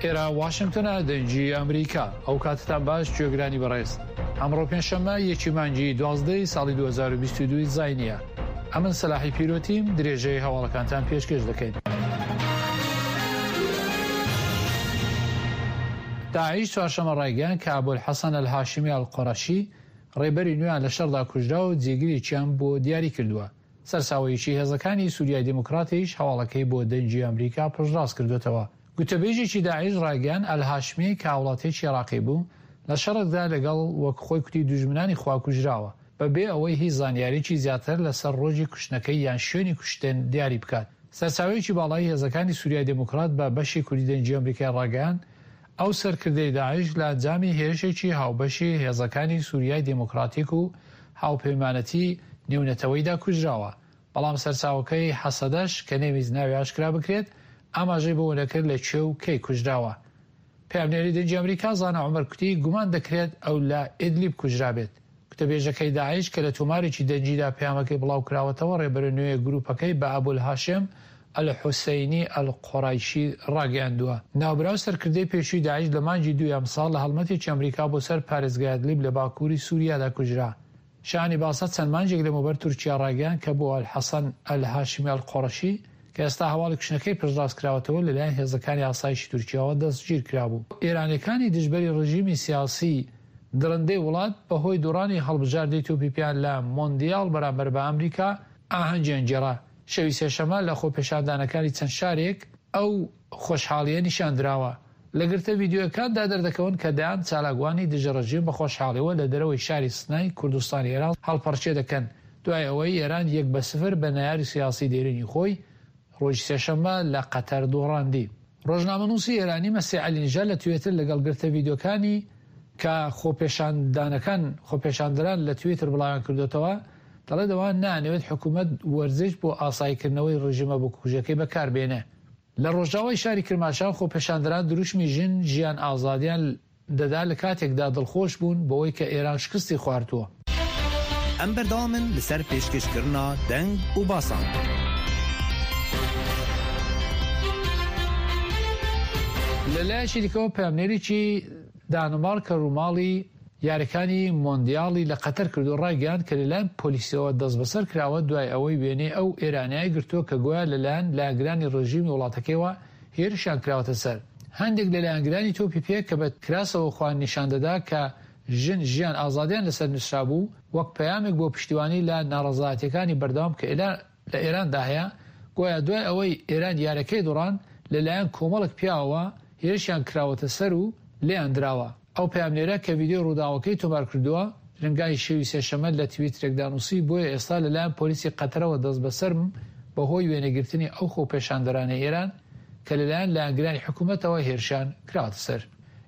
ئێرە واشنگتۆنە دەنگی ئەمریکا. ئەو کاتتان باش گوێگرانی بەڕێز. ئەمڕۆ پێنجشەممە یەکی مانگی دوازدەی ساڵی 2022 زاینیە. ئەمن سەلاحی پیرۆتیم درێژەی هەواڵەکانتان پێشکێش دەکەین. داعش چوارشەممە ڕایگەیاند کە ئەبولحەسەن ئەلهاشمی ئەلقوڕەشی ڕێبەری نوێیان لە شەڕدا کوژرا و جێگرێکیان بۆ دیاری کردووە. سەرچاوەیەکی هێزەکانی سوریای دیموکراتیش هەواڵەکەی بۆ دەنگی ئەمریکا پشتڕاست کردۆتەوە. گوتەبێژێکی داعش ڕایگەیاند ئەلهاشمی کە هاوڵاتیەکی عێراقی بوو، لە شەڕێکدا لەگەڵ وەک خۆی کوتی دوژمنانی خوا کوژراوە، بە بێ ئەوەی هیچ زانیاریەکی زیاتر لەسەر ڕۆژی کوشتنەکەی یان شوێنی کوشتن دیاری بکات. سەرچاوەیەکی باڵای هێزەکانی سوریای دیموکرات بە بەشی کوردی دەنگی ئەمریکای ڕاگەیاند، ئەو سەرکردەی داعش لە ئەنجامی هێرشێکی هاوبەشی هێزەکانی سوریای دیموکراتیک و هاوپەیمانەتی نێونەتەوەیدا کوژراوە، بەڵام سەرچاوەکەی هەسەدەش کە نەیویست ناوی ئاشکرا بکرێت، ئاماژەی بەوە نەکرد لە کوێ و کەی کوژراوە. پەیامنێری دەنگی ئەمریکا زانا عومەر کوتی گومان دەکرێت ئەو لە ئیدلیب کوژرابێت. گوتەبێژەکەی داعش کە لە تۆمارێکی دەنگیدا پەیامەکەی بڵاوکراوەتەوە ڕێبەرە نوێ گروپەکەی بە ئەبولهاشێم ئەلحوسەینی ئەلقوڕەیشی ڕاگەیاندووە. ناوبراو سەرکردەی پێشووی داعش لە مانگی دووی ئەمساڵ لە هەڵمەتێکی ئەمریکا بۆ سەر پارێزگای ئەدلیب لە باکووری سووریادا کوژرا. شایانی باسە چەند مانگێک لەمەوبەر تورکیا ڕایگەیاند کە بۆ ئەلحەسەن ئەلهاشمی ئەلقوڕەشی کە ئێستا هەواڵی کوشتنەکەی پشتڕاست کراوەتەوە لەلایەن هێزەکانی ئاسایشی تورکیاوە دەستگیرکرابوو. ئێرانیەکانی دژبەری ڕژیمی سیاسی دڕندەی وڵات بەهۆی دۆڕانی هەڵبژاردەی تۆپی پێیان لە مۆندیال بەرامبەر بە ئەمریکا ئاهەنگیان گێڕا. شەوی سێشەممە لە خۆپێشاندانەکانی چەند شارێک ئەو خۆشحاڵییە نیشان دراوە. لە گرتە ڤیدیۆیەکاندا دەردەکەون کە دەیان چالاکوانی دژە ڕژیم بە خۆشحاڵیەوە لە دەرەوەی شاری سنەی کوردستانی ئێران هەڵپەڕکێ دەکەن دوای ئەوەی ئێران یەک بە سفر بە نەیاری سیاسی دێرینی خۆی ڕۆژی سێشەممە لە قەتەر دۆڕاندی. ڕۆژنامەنووسی ئێرانی مەسیح عەلینژاد لە توێتر لەگەڵ گرتە ڤیدیۆکانی کە خۆپێشاندانەکان خۆپێشاندەران لە تویتر بڵاویان کردۆتەوە دەڵێت ئەوان نایانەوێت حکوومەت وەرزش بۆ ئاساییکردنەوەی ڕژیمە بکوژەکەی بەکار بێنێ. لە ڕۆژاوای شاری کرماشان خۆپێشاندەران دروشمی ژن، ژیان، ئازادیان دەدا لە کاتێکدا دڵخۆش بوون بەوەی کە ئێران شکستی خواردووە. ئەم بەردەوامن لەسەر پێشکەشکردنا دەنگ و باسان. لە لایەکی دیکەوە پەیامنێرێکی دانمارک کە ڕووماڵی یاریەکانی مۆندیالی لە قەتەر کردو ڕایگەیاند کە لەلایەن پۆلیسەوە دەستبەسەر کراوە دوای ئەوەی وێنەی ئەو ئێرانیای گرتووە کە گۆیا لەلایەن لایەنگرانی ڕێژیمی وڵاتەکەیەوە هێرشیان کراوەتە سەر. هەندێک لە لایەنگرانی تۆپی پێ کە بە کراسەوە خۆیان نیشان دەدا کە ژن، ژیان، ئازادیان لەسەر نووسرابوو، وەک پەیامێک بۆ پشتیوانی لە ناڕەزایەتیەکانی بەردەوام کە لە ئێراندا هەیە، گۆیا دوای ئەوەی ئێران یاریەکەی دۆڕاند، لەلایەن کۆمەڵێک پیاوەوە هێرشیان کراوەتە سەر و لێیان دراوە. ئەو پەیامنێرە کە ڤیدیۆی ڕووداوەکەی تۆمار کردووە، درەنگانی شەوی سێشەممە لە تویترێکدا نووسی، بۆیە ئێستا لەلایەن پۆلیسی قەتەرەوە دەستبەسەرم بەهۆی وێنەگرتنی ئەو خۆپێشاندەرانەی ئێران کە لەلایەن لایەنگرانی حکوومەتەوە هێرشیان کراوەتە سەر.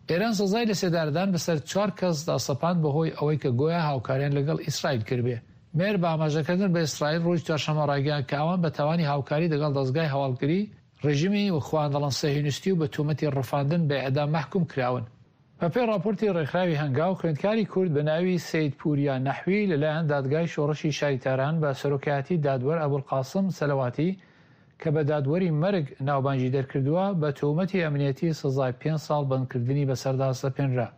ئێران سزای لەسێدارەدان بەسەر چوار کەسدا سەپاند بەهۆی ئەوەی کە گۆیا هاوکاریان لەگەڵ ئیسرائیل کردبێ. مێهر بە ئاماژەکردن بە ئیسرائیل ڕۆژی چوارشەممە ڕایگەیاند کە ئەوان بە تاوانی هاوکاری دەگەڵ دەزگای هەواڵگری ڕێژیمی خواندەڵەن سەهیۆنیستی و بە تۆمەتی ڕفاندن بە ئێعدام مەحکووم کراون. بە پێی ڕاپۆرتی ڕێکخراوی هەنگاو، خوێندکاری کورد بە ناوی سەید پووریا نەحوی لە لایەن دادگای شۆڕشی شاری تاران بە سەرۆکایەتی دادوەر ئەبولقاسم سەلەواتی کە بە دادوەری مەرگ ناوبانگی دەرکردووە، بە تۆمەتی ئەمنیەتی سزای پێنج ساڵ بەندکردنی بەسەردا سەپێنرا.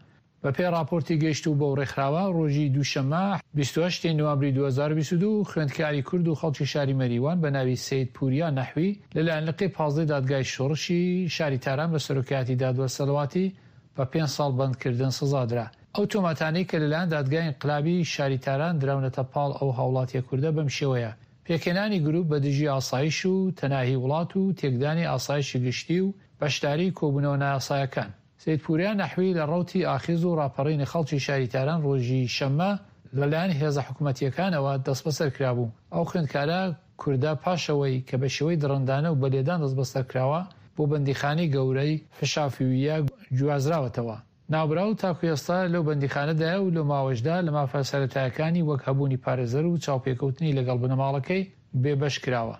بە پێی ڕاپۆرتی گەیشتوو بەو ڕێکخراوە، ڕۆژی دووشەممە، 28 ی نوامبری 2022، خوێندکاری کورد و خەڵکی شاری مەریوان بە ناوی سەید پوریا نەحوی لە لایەن لقی پازدەی دادگای شۆڕشی شاری تاران بە سەرۆکایەتی دادوەر سەلەواتی بە پێنج ساڵ بەندکردن سزا درا. ئەو تۆمەتانەی کە لەلایەن دادگای ئینقلابی شاری تاران دراونەتە پاڵ ئەو هاوڵاتیە کوردە بەم شێوەیە، پێکهێنانی گروپ بە دژی ئاسایش و تەناهی وڵات و تێکدانی ئاسایشی گشتی و بەشداری کۆبوونەوە نایاسایەکان. سەید پوریا نەحوی لە ڕەوتی ئاخێز و ڕاپەڕینی خەڵکی شاری تاران ڕۆژی شەممە لە لایەن هێزە حکومەتییەکانەوە دەستبەسەر کرابوو. ئەو خوێندکارە کوردە پاش ئەوەی کە بە شێوەی دڕندانە و بە لێدان دەستبەسەر کراوە، بۆ بەندیخانەی گەورەی فشافویە گوازراوەتەوە. ناوبراو تاکو ئێستا لەو بەندیخانەدایە و لەو ماوەشدا لە مافە سەرەتایەکانی وەک هەبوونی پارێزەر و چاوپێکەوتنی لەگەڵ بنەماڵەکەی بێبەش کراوە.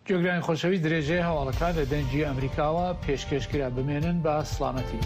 گوێگرانی خۆشەویست درێژەی هەواڵەکان لە دەنگی ئەمریکاوە پێشکێش کرا بمێنن بە سڵامەتی.